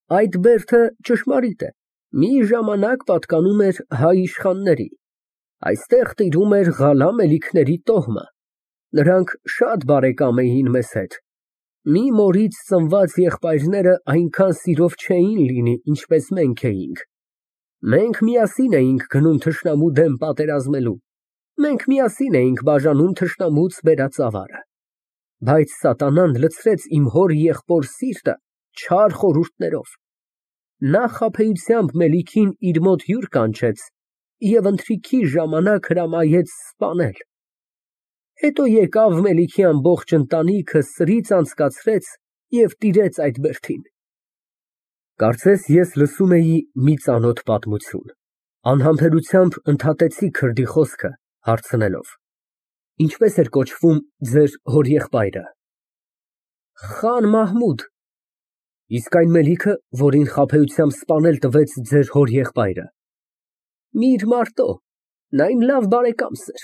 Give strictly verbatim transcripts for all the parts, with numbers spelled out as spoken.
Այդ բերդը ճշմարիտ է, մի ժամանակ պատկանում էր հայ իշխանների, այստեղ տիրում էր Ղալա մելիքների տոհմը, նրանք շատ բարեկամ էին մեզ հետ, մի մորից ծնված եղբայրները այնքան սիրով չէին լինի, ինչպես մենք էինք, մենք միասին էինք գնում թշնամու դեմ պատերազմելու, մենք միասին էինք բաժանում թշնամուց բերած ավարը, բայց սատանան լցրեց իմ հոր եղբոր սիրտը չար խորհուրդներով, նա խաբեությամբ մելիքին իր մոտ հյուր կանչեց և ընթրիքի ժամանակ հրամայեց սպանել, հետո եկավ մելիքի ամբողջ ընտանիքը սրից անցկացրեց և տիրեց այդ բերդին։ Կարծես ես լսում էի մի ծանոթ պատմություն, անհամբերությամբ ընդհատեցի քրդի խոսքը, հարցնելով. Ինչպե՞ս էր կոչվում ձեր հորեղբայրը։ Խան Մահմուդ։ Իսկ այն մելիքը, որին խաբեությամբ սպանել տվեց ձեր հորեղբայրը։ Միր Մարտո, նա իմ լավ բարեկամս էր,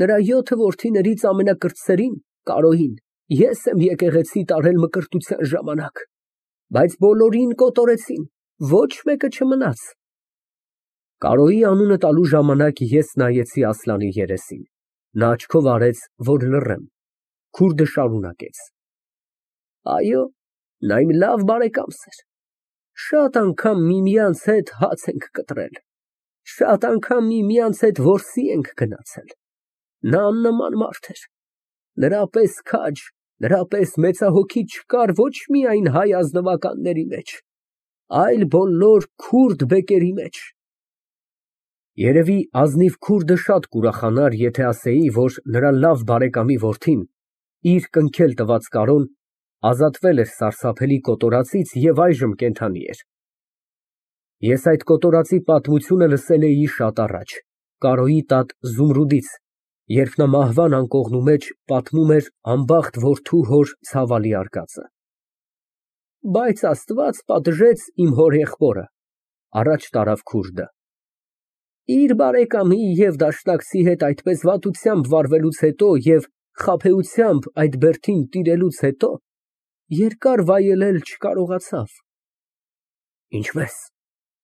նրա յոթ որդիներից ամենակրտսերին, Կարոյին, ես եմ եկեղեցի տարել մկրտության ժամանակ, բայց բոլորին կոտորեցին, ոչ մեկը չմնաց։ Կարոյի անունը տալու ժամանակ ես նայեցի Ասլանի երեսին, նա աչքով արեց, որ լռեմ, քուրդը շարունակեց. Այո, նա իմ լավ բարեկամս էր, շատ անգամ միմյանց հետ հաց ենք կտրել, շատ անգամ միմյանց հետ որսի ենք գնացել, նա աննման մարդ էր, նրա պես քաջ, նրա պես մեծահոգի չկար ոչ միայն հայ ազնվականների մեջ, այլ բոլոր քուրդ բեկերի մեջ։ Երևի ազնիվ քուրդը շատ կուրախանար, եթե ասեի, որ նրա լավ բարեկամի որդին, իր կնքել տված Կարոն, ազատվել էր սարսափելի կոտորածից և այժմ կենդանի էր։ Ես այդ կոտորածի պատմությունը լսել էի շատ առաջ, Կարոյի տատ Զումրուդից, երբ նա մահվան անկողնու մեջ պատմում էր անբախտ որդու հոր ցավալի արկածը։ Բայց Աստված պատժեց իմ հորեղբորը, առաջ տարավ քուրդը։ Իր բարեկամի և դաշնակցի հետ այդպես վատությամբ վարվելուց հետո և խաբեությամբ այդ բերդին տիրելուց հետո երկար վայելել չկարողացավ։ Ինչպե՞ս,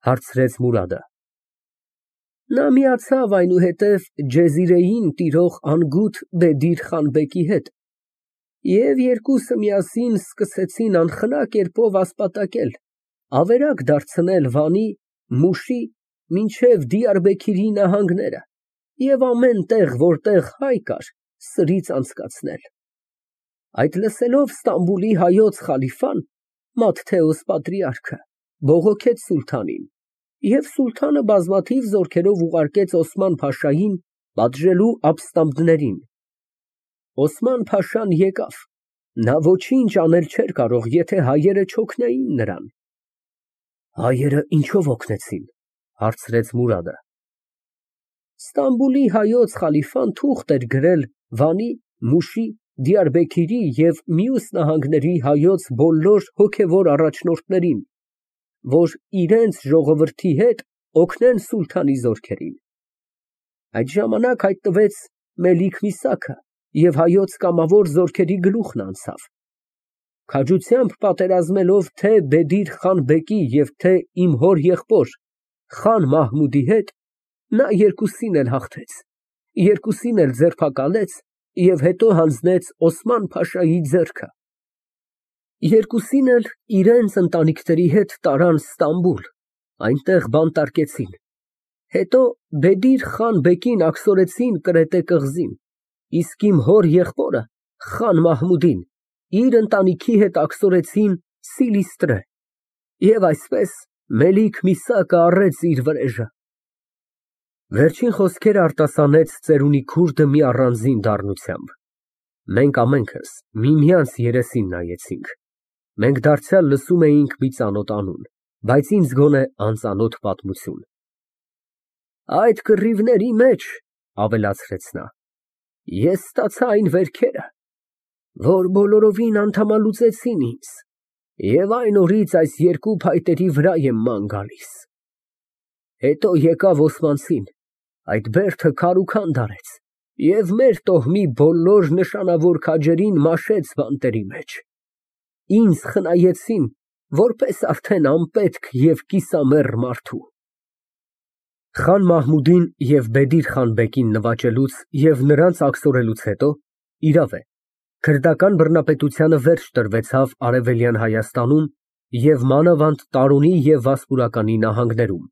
հարցրեց Մուրադը։ Նա միացավ այնուհետև Ջեզիրեին տիրող անգութ Բեդիր Խանբեկի հետ և երկուսը միասին սկսեցին անխնա կերպով ասպատակել, ավերակ դարձնել Վանի, Մուշի, մինչև Դիարբեքիրի նահանգները և ամեն տեղ, որտեղ հայ կար, սրից անցկացնել։ Այդ լսելով Ստամբուլի հայոց խալիֆան, Մատթեոս պատրիարքը, բողոքեց սուլթանին, և սուլթանը բազմաթիվ զորքերով ուղարկեց Օսման֊փաշային պատժելու ապստամբներին։ Օսման֊փաշան եկավ, նա ոչինչ անել չէր կարող, եթե հայերը չօգնեին նրան։ Հայերը ինչո՞վ օգնեցին, հարցրեց Մուրադը։ Ստամբուլի հայոց խալիֆան թուղթ էր գրել Վանի, Մուշի, Դիարբեքիրի և մյուս նահանգների հայոց բոլոր հոգևոր առաջնորդներին, որ իրենց ժողովրդի հետ օգնեն սուլթանի զորքերին։ Այդ ժամանակ հայտնվեց Մելիք Միսաքը և հայոց կամավոր զորքերի գլուխն անցավ։ Քաջությամբ պատերազմելով թե Բեդիր Խանբեկի և թե իմ հոր եղբոր Խան Մահմուդի հետ, նա երկուսին էլ հաղթեց, երկուսին էլ ձերբակալեց և հետո հանձնեց Օսման֊փաշայի ձեռքը։ Երկուսին էլ իրենց ընտանիքների հետ տարան Ստամբուլ, այնտեղ բանտարկեցին, հետո Բեդիր Խանբեկին աքսորեցին Կրետե կղզին, իսկ իմ հոր եղբորը Խան Մահմուդին իր ընտանիքի հետ աքսորեցին Սիլիստրե, և այսպես Մելիք Միսակը առեց իր վրեժը։ Վերջին խոսքերը արտասանեց ծերունի քուրդը մի առանձին դառնությամբ։ Մենք ամենքս միմյանց երեսին նայեցինք։ Մենք դարձյալ լսում էինք մի ծանոթ անուն, բայց ինձ գոնե անծանոթ պատմություն։ Այդ կռիվների մեջ, ավելացրեց նա, ես ստացա այն վերքերը, որ բոլորովին անդամալուծեցին ինձ, և այն օրից այս երկու փայտերի վրա եմ ման գալիս։ Հետո եկավ օսմանցին, այդ բերդը քարուքանդ արեց և մեր տոհմի բոլոր նշանավոր քաջերին մաշեց բանտերի մեջ։ Ինձ խնայեցին, որպես արդեն անպետք և կիսամեռ մարդու։ Խան Մահմուդին և Բեդիր Խան Բեկին նվաճելուց և նրանց աքսորելուց հետո, իրավ է, քրդական բռնապետությանը վերջ տրվեցավ Արևելյան Հայաստանում և մանավանդ Տարոնի և Վասպուրականի նահանգներում,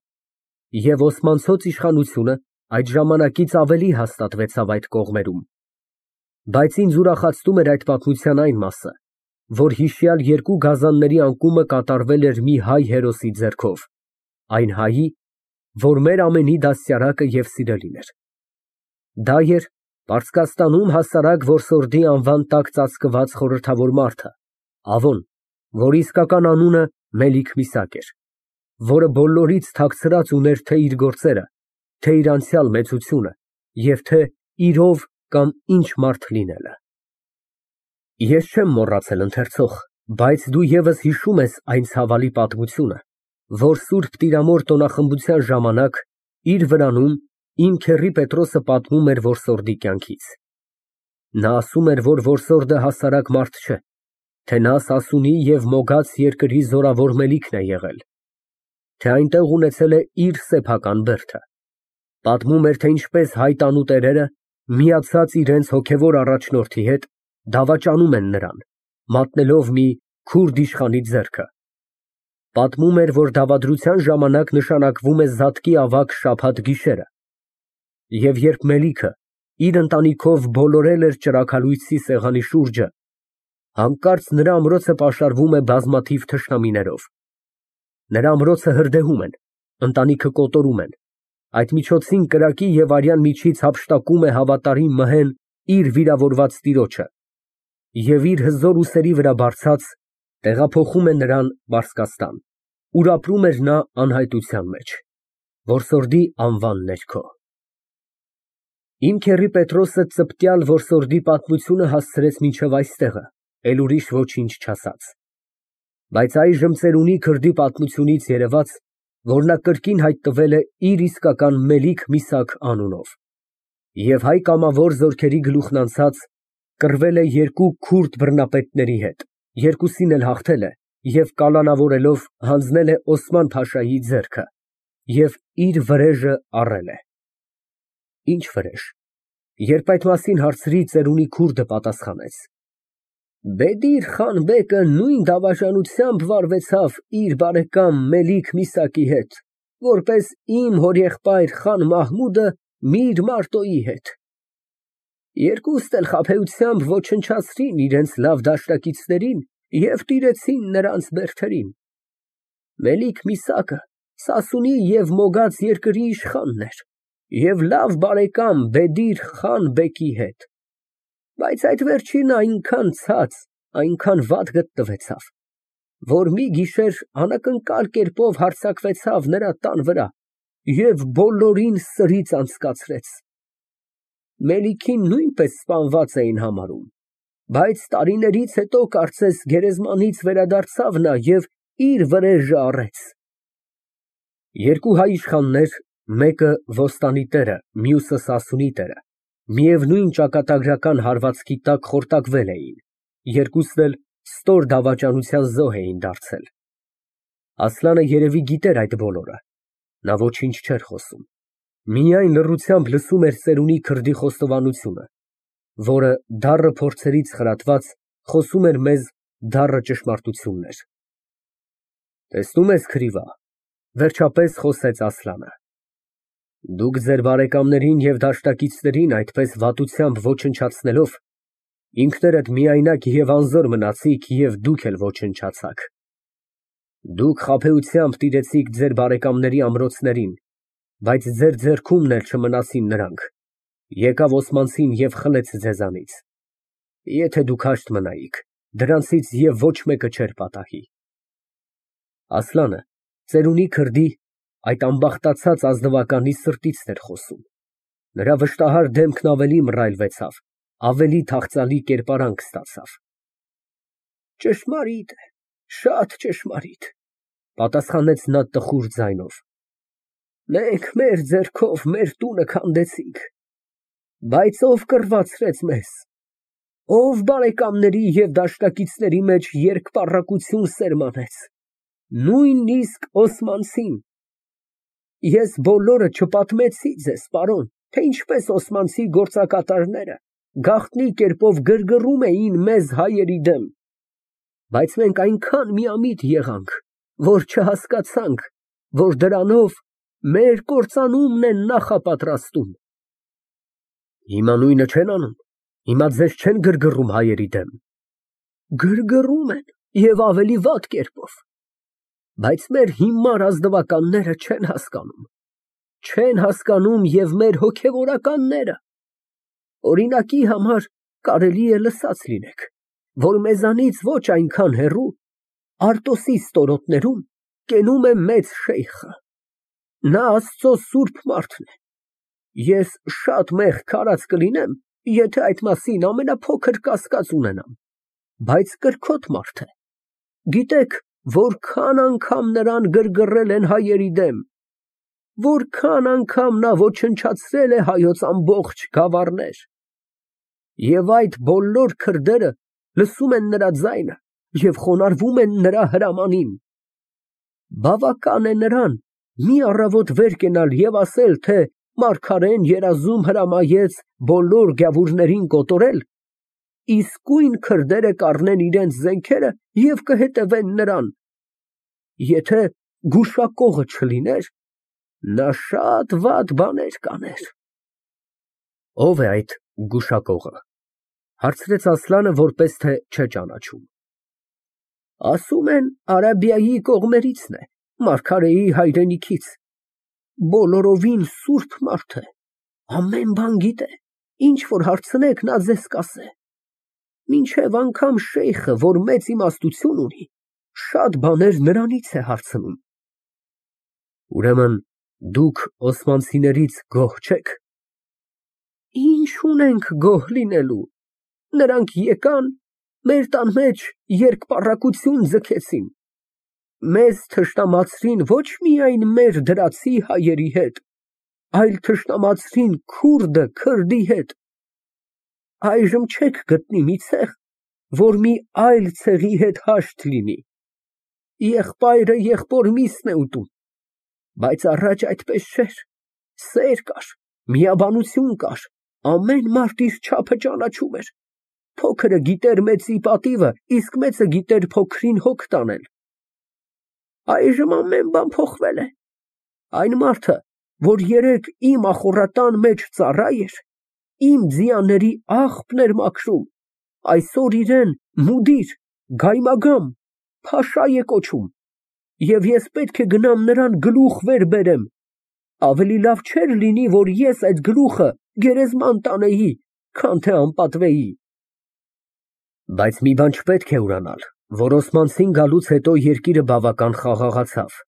և Օսմանցոց իշխանությունը այդ ժամանակից ավելի հաստատվեցավ այդ կողմերում, բայց ինձ ուրախացնում էր այդ պատմության այն մասը, որ հիշյալ երկու գազանների անկումը կատարվել էր մի հայ հերոսի ձեռքով, այն հայի, որ մեր ամենի դաստիարակը և սիրելին էր։ Դա էր Պարսկաստանում հասարակ որսորդի անվան տակ ծածկված խորհրդավոր մարդը, Ավոն, որի իսկական անունը Մելիք Միսակ էր, որը բոլորից թաքցրած ուներ թե իր գործերը, թե իր անցյալ մեծությունը և թե իր ով կամ ինչ մարդ լինելը։ Ես չեմ մոռացել, ընթերցող, բայց դու ևս հիշում ես այն ցավալի պատմությունը, որ Սուրբ Տիրամոր տոնախմբության ժամանակ իր վրանում իմ քեռի Պետրոսը պատմում էր որսորդի կյանքից։ Նա ասում էր, որ որսորդը հասարակ մարդ չէ, թե նա Սասունի և Մոգաց երկրի զորավոր Մելիքն է եղել, թե այնտեղ ունեցել է իր սեփական բերդը։ Պատմում էր, թե ինչպես հայ տանուտերերը, միացած իրենց հոգևոր առաջնորդի հետ, դավաճանում են նրան, մատնելով մի քուրդ իշխանի ձեռքը։ Պատմում էր, որ դավադրության ժամանակ նշանակվում է զատկի ավագ շաբաթ գիշերը, և երբ Մելիքը իր ընտանիքով բոլորել էր ճրագալույցի սեղանի շուրջը, հանկարծ նրա ամրոցը պաշարվում է բազմաթիվ թշնամիներով։ Նրա ամրոցը հրդեհում են, ընտանիքը կոտորում են, այդ միջոցին կրակի և արյան միջից հափշտակում է հավատարիմ մհեն իր վիրավորված տիրոջը և իր հզոր ուսերի վրա բարձած տեղափոխում է նրան Պարսկաստան, ուր ապրում էր նա անհայտության մեջ, որսորդի անվան ներքո։ Իմ քեռի Պետրոսը ծպտյալ որսորդի պատմությունը հասցրեց մինչև այստեղը, էլ ուրիշ ոչինչ չասաց։ Բայց այժմ ծերունի քրդի պատմությունից երևաց, որ նա կրկին հայտնվել է իր իսկական Մելիք Միսաք անունով, և հայ կամավոր զորքերի գլուխն անցած կռվել է երկու քուրդ բռնապետների հետ, երկուսին էլ հաղթել է և կալանավորելով հանձնել է Օսման փաշայի ձեռքը և իր վրեժը առել է։ Ի՞նչ վրեժ։ Երբ այդ մասին հարցրի, ծերունի քուրդը պատասխանեց. Բեդիր Խան Բեկը նույն դավաճանությամբ վարվեցավ իր բարեկամ Մելիք Միսակի հետ, որպես իմ հորեղբայր Խան Մահմուդը Միր Մարտոյի հետ։ Երկուստ էլ խաբեությամբ ոչնչացրին իրենց լավ դաշնակիցներին և տիրեցին նրանց բերդերին։ Մելիք Միսակը Սասունի և Մոգաց երկրի իշխանն էր և լավ բարեկամ Բեդիր Խան Բեկի հետ, բայց այդ վերջինը այնքան ցած, այնքան վատ գտնվեցավ, որ մի գիշեր անակնկալ կերպով հարձակվեցավ նրա տան վրա և բոլորին սրից անցկացրեց։ Մելիքին նույնպես սպանված էին համարում, բայց տարիներից հետո կարծես գերեզմանից վերադարձավ նա և իր վրեժը առեց։ Երկու հայ իշխաններ, մեկը Ոստանի տերը, մյուսը Սասունի տերը, միևնույն ճակատագրական հարվածքի տակ խորտակվել էին, երկուսն էլ ստոր դավաճանության զոհ էին դարձել։ Ասլանը երևի գիտեր այդ բոլորը, նա ոչինչ չէր խոսում, միայն լռությամբ լսում էր ծերունի քրդի խոստովանությունը, որը դառը փորձերից խրատված խոսում էր մեզ դառը ճշմարտություններ։ Տեսնում ես, քրիվա, վերջապես խոսեց Ասլանը, դուք ձեր բարեկամներին և դաշնակիցներին այդպես վատությամբ ոչնչացնելով, ինքներդ միայնակ և անզոր մնացիք և դուք էլ ոչնչացաք։ Դուք խաբեությամբ տիրեցիք ձեր բարեկամների ամրոցներին, բայց ձեր ձեռքումն էլ չմնացին նրանք, եկավ Օսմանցին և խլեց ձեզանից։ Եթե դուք հաշտ մնայիք, դրանցից և ոչ մեկը չէր պատահի։ Ասլանը ծերունի քրդի, այդ ամբախտացած ազնվականի սրտիցն էր խոսում, նրա վշտահար դեմքն ավելի մռայլվեցավ, ավելի թախծալի կերպարանք ստացավ։ Ճշմարիտ է, շատ ճշմարիտ, պատասխանեց նա տխուր ձայնով։ Մենք մեր ձեռքով մեր տունը քանդեցինք, բայց ով կռվածրեց մեզ, ով բարեկամների և դաշնակիցների մեջ երկպառակություն սերմանեց։ Նույնիսկ Օսմանցին։ Ես բոլորը չպատմեցի ձեզ, պարոն, թե ինչպես օսմանցի գործակատարները գաղտնի կերպով գրգռում էին մեզ հայերի դեմ, բայց մենք այնքան միամիտ եղանք, որ չհասկացանք, որ դրանով մեր կործանումն են նախապատրաստում։ Հիմա նույնը չեն անում, հիմա ձեզ չեն գրգռում հայերի դեմ։ Գրգռում են և ավելի վատ կերպով, բայց մեր հիմար ազնվականները չեն հասկանում, չեն հասկանում և մեր հոգևորականները։ Օրինակի համար կարելի է լսած լինեք, որ մեզանից ոչ այնքան հեռու Արտոսի ստորոտներում կենում է մեծ շեյխը։ Նա Աստծո սուրբ մարդն է։ Ես շատ մեղք արած կլինեմ, եթե այդ մասին ամենափոքր կասկած ունենամ, բայց կրքոտ մարդ է։ Գիտեք, որքան անգամ նրան գրգռել են հայերի դեմ, որքան անգամ նա ոչնչացրել է հայոց ամբողջ գավառներ։ Եվ այդ բոլոր քրդերը լսում են նրա ձայնը և խոնարհվում են նրա հրամանին։ Բավական է նրան մի առավոտ վեր կենալ և ասել, թե մարգարեն երազում հրամայեց բոլոր գավուրներին կոտորել, իսկույն քրդերը կառնեն իրենց զենքերը և կհետևեն նրան։ Եթե գուշակողը չլիներ, նա շատ վատ բաներ կաներ։ Ո՞վ է այդ գուշակողը, հարցրեց Ասլանը, որպես թե չէ ճանաչում։ Ասում են Արաբիայի կողմերիցն է, մարգարեի հայրենիքից, բոլորովին սուրբ մարդ է, ամեն բան գիտե, ինչ որ հարցնեք, նա ձեզ կասե, մինչև անգամ շեյխը, որ մեծ իմաստություն ունի, շատ բաներ նրանից է հարցնում։ Ուրեմն դուք օսմանցիներից գոհ չեք։ Ինչ ունենք գոհ լինելու, նրանք եկան, մեր տան մեջ երկպառակություն ձգեցին, մեզ թշնամացրին ոչ միայն մեր դրացի հայերի հետ, այլ թշնամացրին քուրդը քրդի հետ։ Այժմ չեք գտնի մի ցեղ, որ մի այլ ցեղի հետ հաշտ լինի, եղբայրը եղբոր միսն է ուտում, բայց առաջ այդպես չէր, սեր կար, միաբանություն կար, ամեն մարդ իր չափը ճանաչում էր, փոքրը գիտեր մեծի պատիվը, իսկ մեծը գիտեր փոքրին հոգ տանել։ Այժմ ամեն բան փոխվել է, այն մարդը, որ երեկ իմ ախոռատան մեջ ծառա էր, իմ ձիաների աղբն էր մաքրում, այսօր իրեն մուդիր, գայմագամ, փաշա է կոչում, և ես պետք է գնամ նրան գլուխ վեր բերեմ, ավելի լավ չէր լինի, որ ես այդ գլուխը գերեզման տանեի, քան թե անպատվեի։ Բայց մի բան չպետք է ուրանալ, որ օսմանցին գալուց հետո երկիրը բավական խաղաղացավ։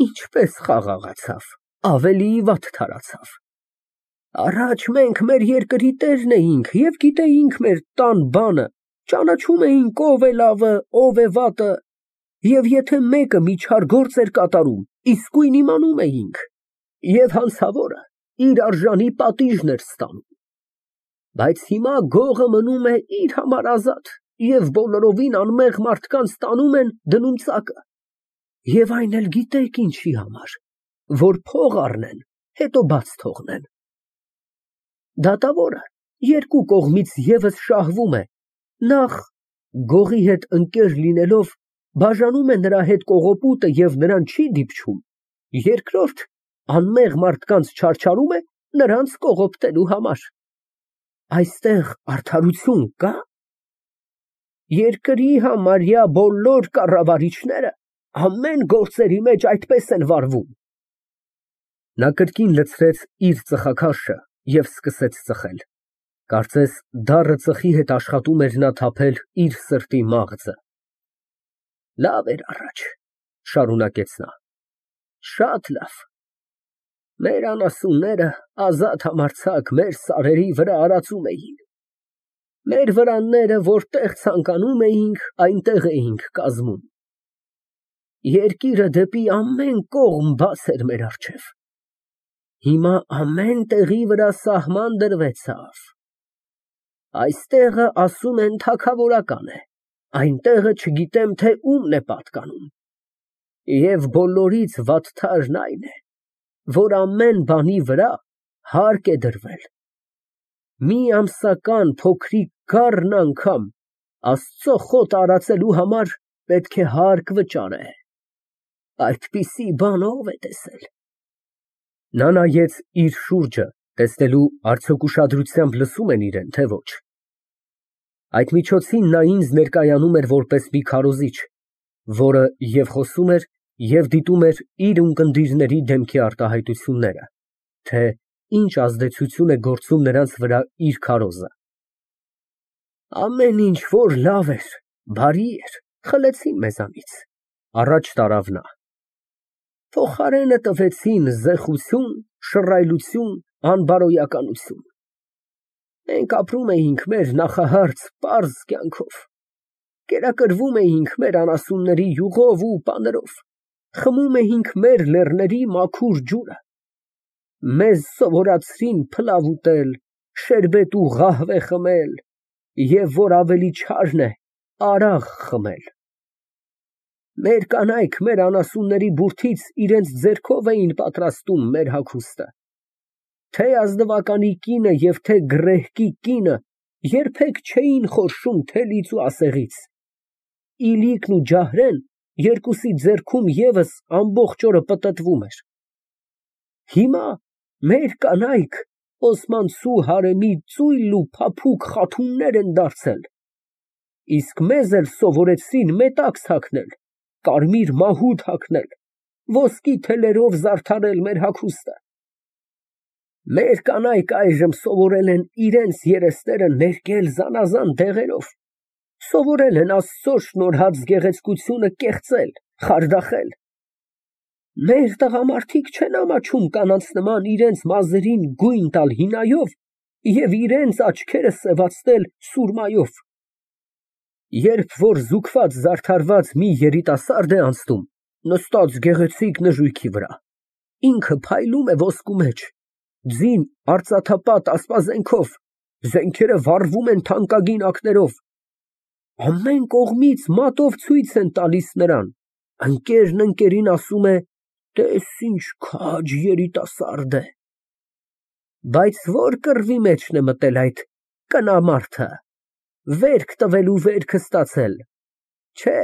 Ինչպես խաղաղացավ, ավելի վատ թարացավ։ Առաջ մենք մեր երկրի տերն էինք և գիտեինք մեր տան բանը, ճանաչում էինք ով է լավը, ով է վատը, և եթե մեկը մի չար գործ էր կատարում, իսկույն իմանում էինք, և հանցավորը իր արժանի պատիժն էր ստանում։ Բայց հիմա գողը մնում է իր համար ազատ, և բոլորովին անմեղ մարդկանց տանում են դնում ծակը, և այն էլ գիտեք ինչի համար, որ փող առնեն, հետո բաց թողնեն։ Դատավորը երկու կողմից ևս շահվում է, նախ գողի հետ ընկեր լինելով բաժանում է նրա հետ կողոպուտը և նրան չի դիպչում, երկրորդ անմեղ մարդկանց չարչարում է նրանց կողոպտելու համար։ Այստեղ արդարություն կա՞։ Երկրի համարյա բոլոր կառավարիչները ամեն գործերի մեջ այդպես են վարվում։ Նա կրկին լցրեց իր ծխախաշը և սկսեց ծխել, կարծես դառը ծխի հետ աշխատում էր նա թափել իր սրտի մաղձը։ Լավ էր առաջ, շարունակեց նա, շատ լավ։ Մեր անասունները ազատ համարձակ մեր սարերի վրա արածում էին։ Մեր վրանները որտեղ ցանկանում էինք, այնտեղ էինք կազմում։ Երկիրը դեպի ամեն կողմ բաց էր մեր առջև։ Հիմա ամեն տեղի վրա սահման դրվեցավ։ Այստեղը ասում են թագավորական է, այնտեղը չգիտեմ թե ումն է պատկանում։ Եվ բոլորից վատթարն այն է, որ ամեն բանի վրա հարկ է դրվել, մի ամսական փոքրիկ գառն անգամ Աստծո խոտ արածելու համար պետք է հարկ վճարե, այդպիսի բան ո՞վ է տեսել։ Նա նայեց իր շուրջը, տեսնելու արդյոք ուշադրությամբ լսում են իրան, թե ոչ։ Այդ միջոցին նա ինձ ներկայանում էր որպես մի քարոզիչ, որը և խոսում էր, և դիտում էր իր ունկնդիրների դեմքի արտահայտությունները, թե ինչ ազդեցություն է գործում նրանց վրա իր քարոզը։ Ամեն ինչ որ լավ էր, բարի էր, խլեցին մեզանից, առաջ տարավ նա։ Փոխարենը տվեցին զեխություն, շռայլություն, անբարոյականություն։ Մենք ապրում էինք մեր նախահարց պարզ կյանքով, կերակրվում էինք մեր անասունների յուղով ու պաներով, խմում էինք մեր լեռների մաքուր ջուրը, մեզ սովորացրին փլավ ուտել, շերբետ ու ղահվե խմել, և որ ավելի չարն է, արաղ խմել։ Մեր կանայք մեր անասունների բուրդից իրենց ձեռքով էին պատրաստում մեր հագուստը, թե ազնվականի կինը և թե գռեհկի կինը երբեք չէին խորշում թելից ու ասեղից, իլիկն ու ջահրեն երկուսի ձեռքում ևս ամբողջ օրը պտտվում էր։ Հիմա մեր կանայք Օսմանցու հարեմի ծույլ ու փափուկ խաթուններ են դարձել, իսկ մեզ էլ սովորեցրին մետաքս հագնել, կարմիր մահուդ հագնել, ոսկի թելերով զարդարել մեր հագուստը։ Մեր կանայք այժմ սովորել են իրենց երեսները ներկել զանազան դեղերով, սովորել են Աստծո շնորհած գեղեցկությունը կեղծել, խարդախել։ Մեր տղամարդիկ չեն ամաչում կանանց նման իրենց մազերին գույն տալ հինայով և իրենց աչքերը սևացնել սուրմայով։ Երբ որ զուգված զարդարված մի երիտասարդ է անցնում, նստած գեղեցիկ նժույգի վրա, ինքը փայլում է ոսկու մեջ, ձին արծաթապատ ասպազենքով, զենքերը վառվում են թանկագին ակներով, ամեն կողմից մատով ցույց են տալիս նրան, ընկերն ընկերին ասում է. «Տես ինչ քաջ երիտասարդ է»։ Բայց ո՞ր կռվի մեջն է մտել այդ կնամարդը, վերք տվելու վերքը ստացել։ Չէ,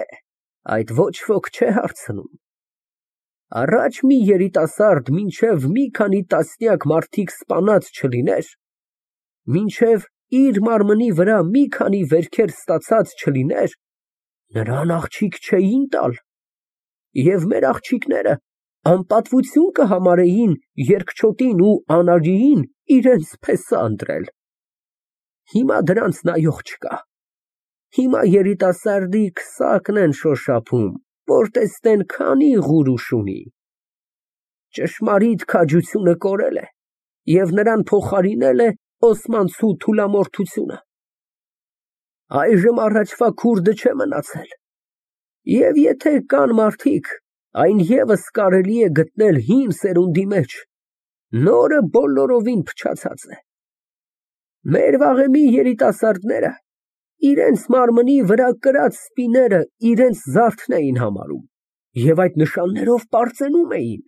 այդ ոչ ոք չէ հարցնում։ Առաջ մի երիտասարդ մինչև մի քանի տասնյակ մարդիկ սպանած չլիներ, մինչև իր մարմնի վրա մի քանի վերքեր ստացած չլիներ, նրան աղջիկ չէին տալ, և մեր աղջիկները անպատվություն կհամարեին երկչոտին ու անարյուն իրենց փեսա ընտրել։ Հիմա դրանց նայող չկա, հիմա երիտասարդի քսակն են շոշափում, որ տեսնեն քանի ղուրուշ ունի։ Ճշմարիտ քաջությունը կորել է և նրան փոխարինել է Օսմանցու թուլամորթությունը։ Այժմ առաջվա քուրդը չէ մնացել, և եթե կան մարդիկ, այն ևս կարելի է գտնել հին սերունդի մեջ, նորը բոլորովին փչացած է։ Մեր վաղեմի երիտասարդները իրենց մարմնի վրա կրած սպիները իրենց զարդն էին համարում և այդ նշաններով պարծենում էին,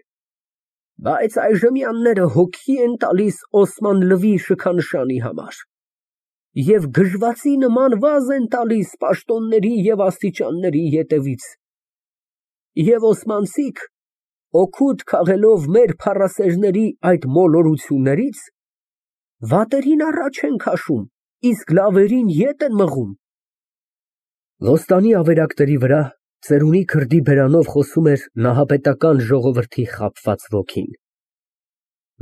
բայց այժմյանները հոգի են տալիս Օսման Լվի շքանշանի համար և գժվացի նման վազ են տալիս պաշտոնների և աստիճանների ետևից, և օսմանցիք, օգուտ քաղելով մեր փառասերների այդ մոլորություններից, վատերին առաջ են քաշում, իսկ լավերին ետ են մղում։ Ոստանի ավերակների վրա ծերունի քրդի բերանով խոսում էր նահապետական ժողովրդի խաբված ոգին։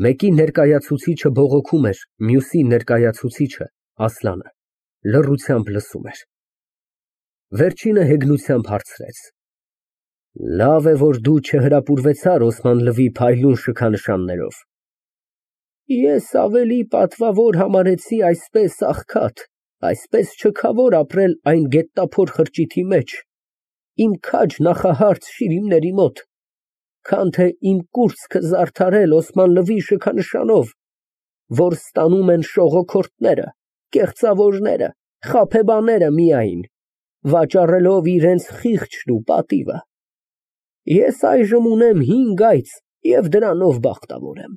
Մեկի ներկայացուցիչը բողոքում էր, մյուսի ներկայացուցիչը՝ Ասլանը, լռությամբ լսում էր։ Վերջինը հեգնությամբ հարցրեց. Լավ է, որ դու չհրապուրվեցար Օսման Լվի փայլուն շքանշաններով։ Ես ավելի պատվավոր համարեցի այսպես աղքատ, այսպես չքավոր ապրել այն գետնափոր խրճիթի մեջ, իմ քաջ նախահարց շիրիմների մոտ, քան թե իմ կուրծքը զարդարել Օսման Լվի շքանշանով, որ ստանում են շողոքորթները, կեղծավորները, խաբեբաները միայն, վաճառելով իրենց խիղճն ու պատիվը։ Ես այժմ ունեմ հինգ այծ և դրանով բախտավոր եմ։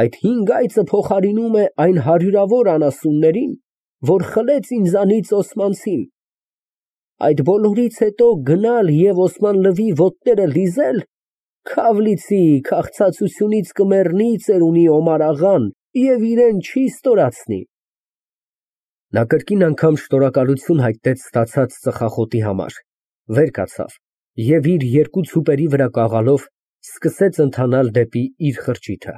Այդ հինգ այծը փոխարինում է այն հարյուրավոր անասուններին, որ խլեց ինձանից Օսմանցին։ Այդ բոլորից հետո գնալ և Օսմանլվի ոտները լիզել, քավ լիցի, քաղցածությունից կմեռնի ծերունի Օմար աղան և իրան չի ստորացնի։ Նա կրկին անգամ շնորհակալություն հայտնեց ստացած ծխախոտի համար, վեր կացավ և իր երկու ցուպերի վրա կաղալով սկսեց ընթանալ դեպի իր խրճիթը։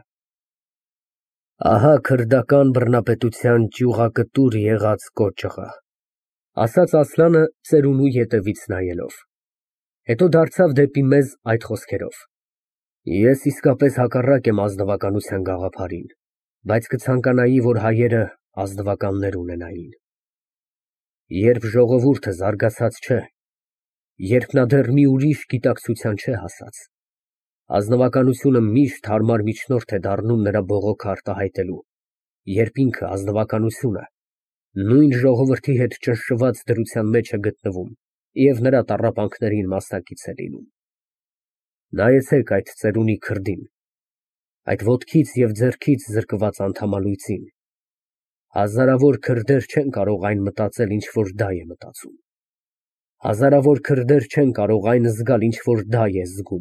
Ահա քրդական բռնապետության ճյուղակտուր եղած կոճղը, ասաց Ասլանը ծերունու ետևից նայելով, հետո դարձավ դեպի մեզ այդ խոսքերով. Ես իսկապես հակառակ եմ ազնվականության գաղափարին, բայց կցանկանայի, որ հայերը ազնվականներ ունենային։ Երբ ժողովուրդը զարգացած չէ, երբ նա դեռ մի ուրիշ գիտակցության չէ հասած, ազնվականությունը միշտ հարմար միջնորդ է դառնում նրա բողոքը արտահայտելու, երբ ինքը, ազնվականությունը, նույն ժողովրդի հետ ճնշված դրության մեջ է գտնվում և նրա տառապանքներին մասնակից է լինում։ Նայեցեք այդ ծերունի քրդին, այդ ոտքից և ձեռքից զրկված անդամալույծին, հազարավոր քրդեր չեն կարող այն մտածել, ինչ որ դա է մտածում, հազարավոր քրդեր չեն կարող այն զգալ, ինչ որ դա է զգում։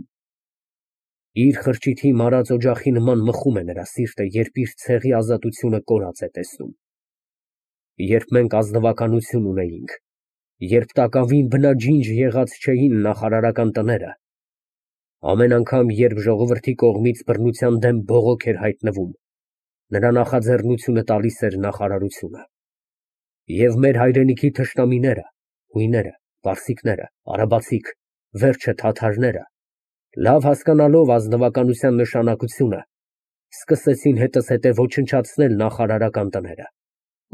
Իր խրճիթի մարած օջախի նման մխում է նրա սիրտը, երբ իր ցեղի ազատությունը կորած է տեսնում։ Երբ մենք ազնվականություն ունեինք, երբ տակավին բնաջինջ եղած չէին նախարարական տները, ամեն անգամ, երբ ժողովրդի կողմից բռնության դեմ բողոք էր հայտնվում, նրա նախաձեռնությունը տալիս էր նախարարությունը։ Եվ մեր հայրենիքի թշնամիները, հույները, պարսիկները, արաբացիք, վերջը թաթարները, լավ հասկանալով ազնվականության նշանակությունը, սկսեցին հետզհետե ոչնչացնել նախարարական տները,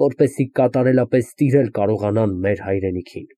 որպեսզի կատարելապես տիրել կարողանան մեր հայրենիքին։